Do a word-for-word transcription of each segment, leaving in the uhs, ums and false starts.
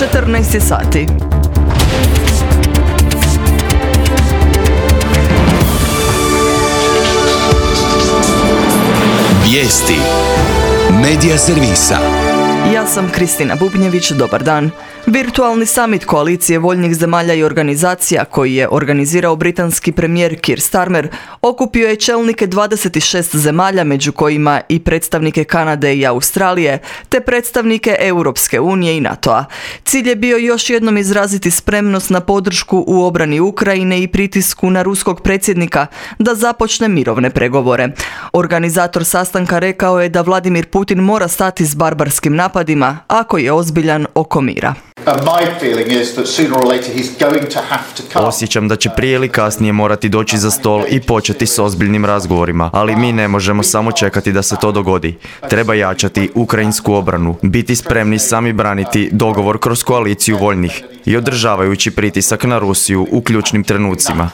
četrnaest je sati. Vijesti Medija servisa. Ja sam Kristina Bubnjević, dobar dan. Virtualni summit koalicije voljnih zemalja i organizacija koji je organizirao britanski premijer Keir Starmer okupio je čelnike dvadeset šest zemalja, među kojima i predstavnike Kanade i Australije, te predstavnike Europske unije i NATO-a. Cilj je bio još jednom izraziti spremnost na podršku u obrani Ukrajine i pritisku na ruskog predsjednika da započne mirovne pregovore. Organizator sastanka rekao je da Vladimir Putin mora stati s barbarskim napadima ako je ozbiljan oko mira. Osjećam da će prije ili kasnije morati doći za stol i početi s ozbiljnim razgovorima, ali mi ne možemo samo čekati da se to dogodi. Treba jačati ukrajinsku obranu, biti spremni sami braniti dogovor kroz koaliciju voljnih i održavajući pritisak na Rusiju u ključnim trenucima.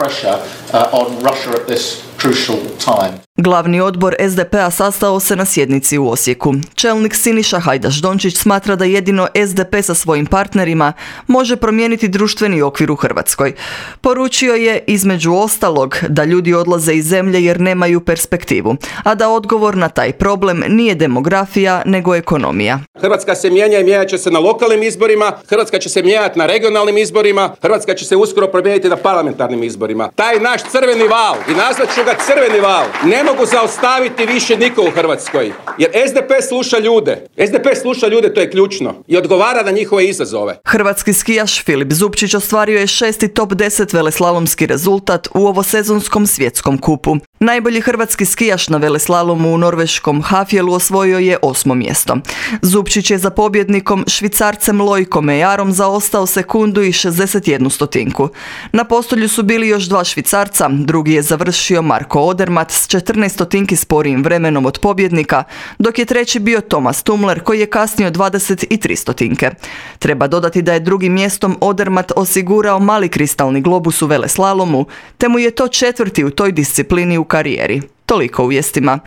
Glavni odbor es de pe a sastao se na sjednici u Osijeku. Čelnik Siniša Hajdaš-Dončić smatra da jedino es de pe sa svojim partnerima može promijeniti društveni okvir u Hrvatskoj. Poručio je, između ostalog, da ljudi odlaze iz zemlje jer nemaju perspektivu, a da odgovor na taj problem nije demografija, nego ekonomija. Hrvatska se mijenja i mijenjat će se na lokalnim izborima, Hrvatska će se mijenjati na regionalnim izborima, Hrvatska će se uskoro promijeniti na parlamentarnim izborima. Taj naš crveni val, i nazvat ću ga crveni val, ne mogu zaustaviti više niko u Hrvatskoj. Jer es de pe sluša ljude. es de pe sluša ljude, to je ključno. I odgovara na njihove izazove. Hrvatski skijaš Filip Zupčić ostvario je šesti top deset veleslalomski rezultat u ovosezonskom svjetskom kupu. Najbolji hrvatski skijaš na veleslalomu u norveškom Hafjelu osvojio je osmo mjesto. Zupčić je za pobjednikom Švicarcem Lojkom Mejarom zaostao sekundu i šezdeset jednu stotinku. Na postolju su bili još dva Švicarca, drugi je završio Marko Odermatt s četrnaest stotinki sporijim vremenom od pobjednika, dok je treći bio Thomas Tumler koji je kasnio dvadeset tri stotinke. Treba dodati da je drugim mjestom Odermatt osigurao mali kristalni globus u veleslalomu, te mu je to četvrti u toj disciplini u karijeri. Toliko u vijestima.